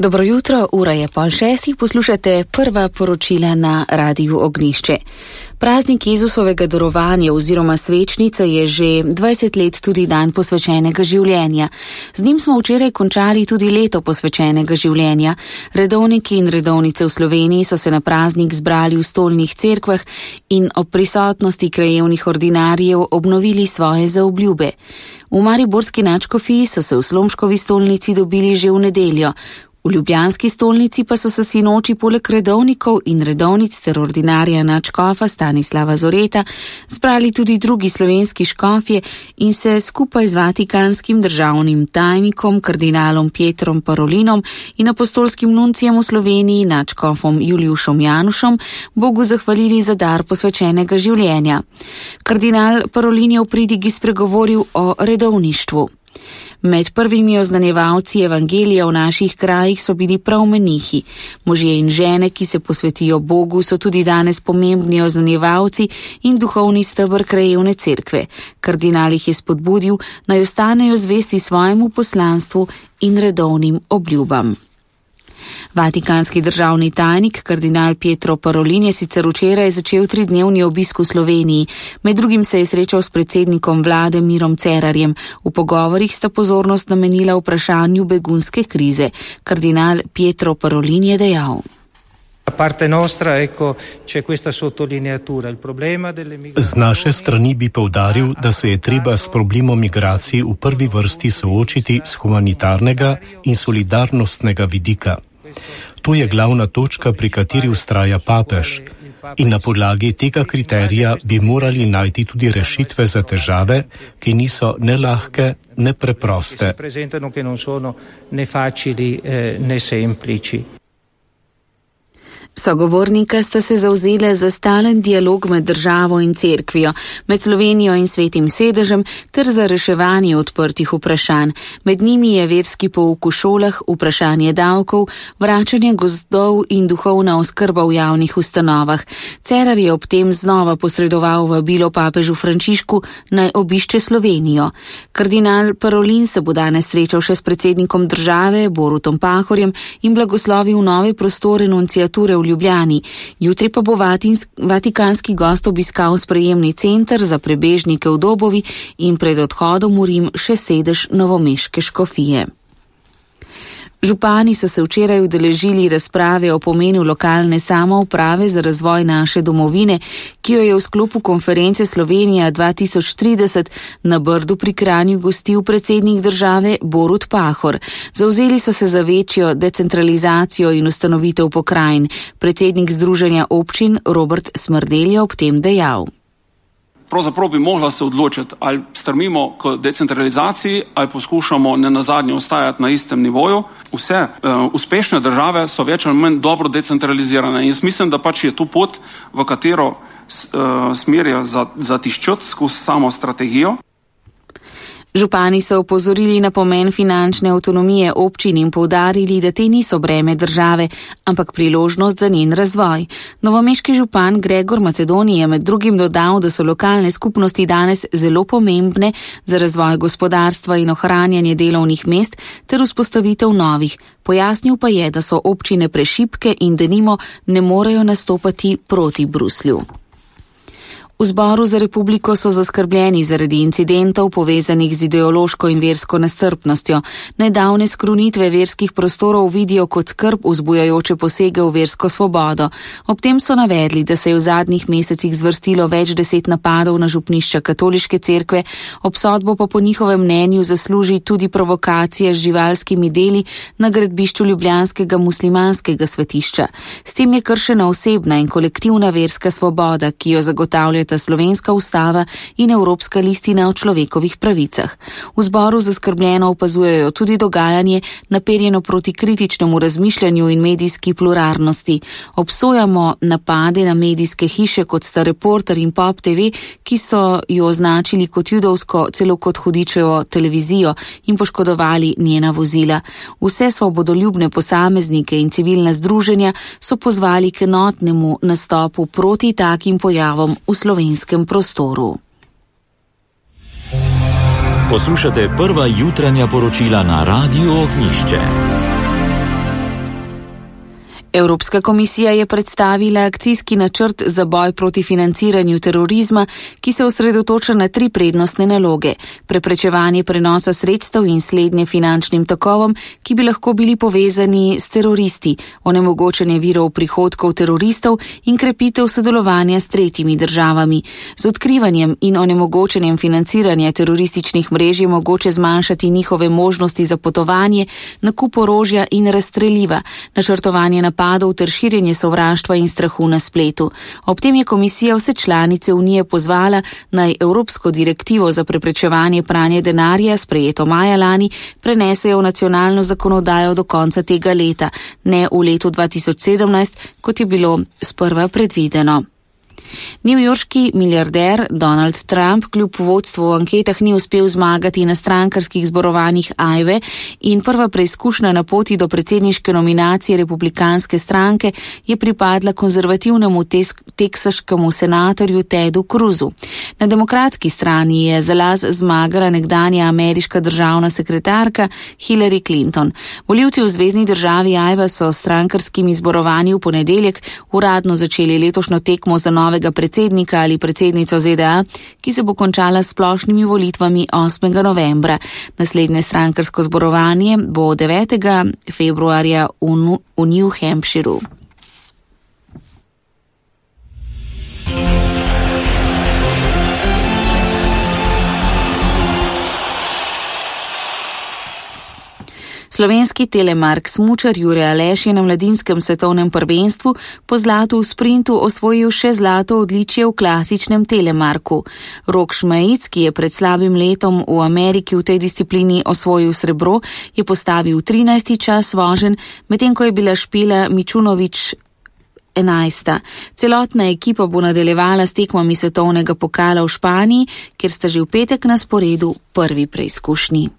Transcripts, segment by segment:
Dobro jutro, ura je 5:30, poslušate prva poročila na Radiu Ognjišče. Praznik Jezusovega darovanja oziroma svečnica je že 20 let tudi dan posvečenega življenja. Z njim smo včeraj končali tudi leto posvečenega življenja. Redovniki in redovnice v Sloveniji so se na praznik zbrali v stolnih cerkvah in ob prisotnosti krajevnih ordinarjev obnovili svoje zaobljube. V mariborski nadškofiji so se v Slomškovi stolnici dobili že v nedeljo. V ljubljanski stolnici pa so se sinoči poleg redovnikov in redovnic ter ordinarja nadškofa Stanislava Zoreta zbrali tudi drugi slovenski škofje in se skupaj z vatikanskim državnim tajnikom kardinalom Pietrom Parolinom in apostolskim nuncijem v Sloveniji nadškofom Juliušom Janušom Bogu zahvalili za dar posvečenega življenja. Kardinal Parolin je v pridigi spregovoril o redovništvu. Med prvimi oznanjevalci evangelija v naših krajih so bili prav menihi. Možje in žene, ki se posvetijo Bogu, so tudi danes pomembni oznanjevalci in duhovni steber krajevne cerkve. Kardinal jih je spodbudil, naj ostanejo zvesti svojemu poslanstvu in redovnim obljubam. Vatikanski državni tajnik kardinal Pietro Parolin je sicer včeraj začel 3-dnevni obisk v Sloveniji. Med drugim se je srečal s predsednikom vlade Mirom Cerarjem. V pogovorih sta pozornost namenila vprašanju begunske krize. Kardinal Pietro Parolin je dejal: Z naše strani bi poudaril, da se je treba s problemom migracij v prvi vrsti soočiti s humanitarnega in solidarnostnega vidika. To je glavna točka, pri kateri vztraja papež. In na podlagi tega kriterija bi morali najti tudi rešitve za težave, ki niso ne lahke, ne preproste. Sogovornika sta se zavzela za stalen dialog med državo in cerkvijo, med Slovenijo in Svetim sedežem ter za reševanje odprtih vprašanj. Med njimi je verski pouk v šolah, vprašanje davkov, vračanje gozdov in duhovna oskrba v javnih ustanovah. Cerar je ob tem znova posredoval vabilo papežu Frančišku naj obišče Slovenijo. Kardinal Parolin se bo danes srečal še s predsednikom države Borutom Pahorjem in blagoslovil nove prostore nunciature v Ljubljani. Jutri pa bo vatikanski gost obiskal sprejemni center za prebežnike v Dobovi in pred odhodom v Rim še sedež novomeške škofije. Župani so se včeraj udeležili razprave o pomenu lokalne samouprave za razvoj naše domovine, ki jo je v sklopu konference Slovenija 2030 na Brdu pri Kranju gostil predsednik države Borut Pahor. Zavzeli so se za večjo decentralizacijo in ustanovitev pokrajin. Predsednik Združenja občin Robert Smrdelj je ob tem dejal: Pravzaprav bi mogla se odločiti, ali strmimo k decentralizaciji, ali poskušamo nenazadnje ostajati na istem nivoju. Vse uspešne države so več ali manj dobro decentralizirane in jaz mislim, da pač je tu pot, v katero smerijo zatiščati skozi samo strategijo. Župani so opozorili na pomen finančne avtonomije občin in poudarili, da te niso breme države, ampak priložnost za njen razvoj. Novomeški župan Gregor Macedoni je med drugim dodal, da so lokalne skupnosti danes zelo pomembne za razvoj gospodarstva in ohranjanje delovnih mest ter vzpostavitev novih. Pojasnil pa je, da so občine prešibke in denimo ne morejo nastopati proti Bruslju. V Zboru za republiko so zaskrbljeni zaradi incidentov povezanih z ideološko in versko nestrpnostjo. Nedavne skrunitve verskih prostorov vidijo kot skrb vzbujajoče posege v versko svobodo. Ob tem so navedli, da se je v zadnjih mesecih zvrstilo več 10 napadov na župnišča katoliške cerkve, obsodbo pa po njihovem mnenju zasluži tudi provokacija z živalskimi deli na gradbišču ljubljanskega muslimanskega svetišča. S tem je kršena osebna in kolektivna verska svoboda, ki jo zagotavljata Slovenska ustava in Evropska listina o človekovih pravicah. V zboru zaskrbljeno opazujejo tudi dogajanje, naperjeno proti kritičnemu razmišljanju in medijski pluralnosti. Obsojamo napade na medijske hiše kot sta Reporter in Pop TV, ki so jo označili kot judovsko, celo kot hudičevo televizijo in poškodovali njena vozila. Vse svobodoljubne posameznike in civilna združenja so pozvali k enotnemu nastopu proti takim pojavom v slovenskem prostoru. Poslušate prva jutranja poročila na Radiu Ognjišče. Evropska komisija je predstavila akcijski načrt za boj proti financiranju terorizma, ki se osredotoča na 3 prednostne naloge: preprečevanje prenosa sredstev in slednje finančnim tokovom, ki bi lahko bili povezani s teroristi, onemogočanje virov prihodkov teroristov in krepitev sodelovanja s tretjimi državami. Z odkrivanjem in onemogočanjem financiranja terorističnih mrež je mogoče zmanjšati njihove možnosti za potovanje, nakup orožja in razstreliva, načrtovanje napadov ter širjenje sovraštva in strahu na spletu. Ob tem je komisija vse članice Unije pozvala, naj Evropsko direktivo za preprečevanje pranja denarja, sprejeto maja lani, prenesejo v nacionalno zakonodajo do konca tega leta, ne v letu 2017, kot je bilo sprva predvideno. Newyorški milijarder Donald Trump kljub vodstvu v anketah ni uspel zmagati na strankarskih zborovanjih Iowe in prva preizkušnja na poti do predsedniške nominacije republikanske stranke je pripadla konzervativnemu teksaškemu senatorju Tedu Cruzu. Na demokratski strani je za las zmagala nekdanja ameriška državna sekretarka Hillary Clinton. Volivci v zvezni državi Iowa so s strankarskimi zborovanji v ponedeljek uradno začeli letošnjo tekmo za novega predsednika ali predsednico ZDA, ki se bo končala s splošnimi volitvami 8. novembra. Naslednje strankarsko zborovanje bo 9. februarja v New Hampshireu. Slovenski telemark smučar Jure Aleš je na mladinskem svetovnem prvenstvu po zlatu v sprintu osvojil še zlato odličje v klasičnem telemarku. Rok Šmajic, ki je pred slabim letom v Ameriki v tej disciplini osvojil srebro, je postavil 13. čas voženj, medtem ko je bila Špela Mičunovič 11. Celotna ekipa bo nadaljevala s tekmami svetovnega pokala v Španiji, kjer sta že v petek na sporedu prvi preizkušnji.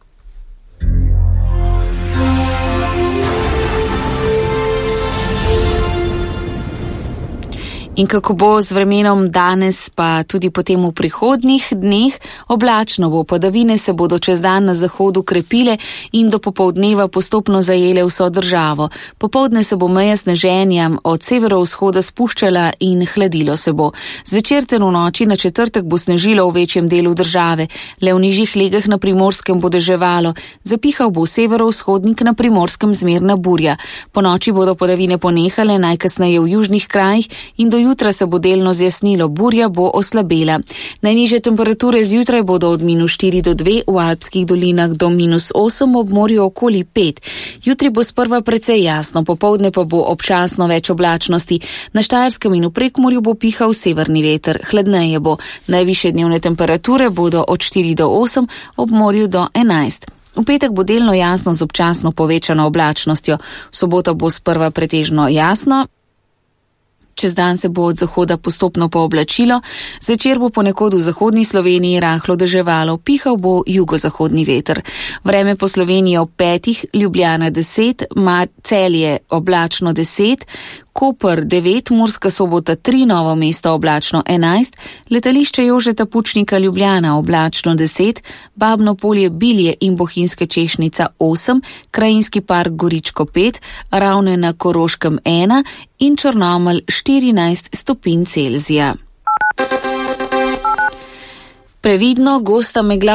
In kako bo z vremenom danes, pa tudi potem v prihodnjih dneh? Oblačno bo, padavine se bodo čez dan na zahodu krepile in do popoldneva postopno zajele vso državo. Popoldne se bo meja sneženja od severovzhoda spuščala in hladilo se bo. Zvečer ter v noči na četrtek bo snežilo v večjem delu države. Le v nižjih legah na Primorskem bo deževalo. Zapihal bo severovzhodnik, na Primorskem zmerna burja. Po noči bodo padavine ponehale, najkasneje v južnih krajih, in do jutra se bo delno zjasnilo, burja bo oslabela. Najnižje temperature zjutraj bodo od -4 do 2, v alpskih dolinah do -8, ob morju okoli 5. Jutri bo sprva precej jasno, popoldne pa bo občasno več oblačnosti. Na Štajerskem in v Prekmurju bo pihal severni veter, hladneje bo. Najvišje dnevne temperature bodo od 4 do 8, ob morju do 11. V petek bo delno jasno z občasno povečano oblačnostjo. V soboto bo sprva pretežno jasno. Čez dan se bo od zahoda postopno pooblačilo, zvečer bo ponekod v zahodni Sloveniji rahlo deževalo, pihal bo jugozahodni veter. Vreme po Sloveniji ob 5, Ljubljana 10, Celje oblačno 10, Koper 9, Murska Sobota 3, Novo mesto oblačno 11, letališče Jožeta Pučnika Ljubljana oblačno 10, Babno Polje, Bilje in Bohinjska Češnica 8, Krajinski park Goričko 5, Ravne na Koroškem 1 in Črnomelj 14 stopinj Celzija. Previdno, gosta megla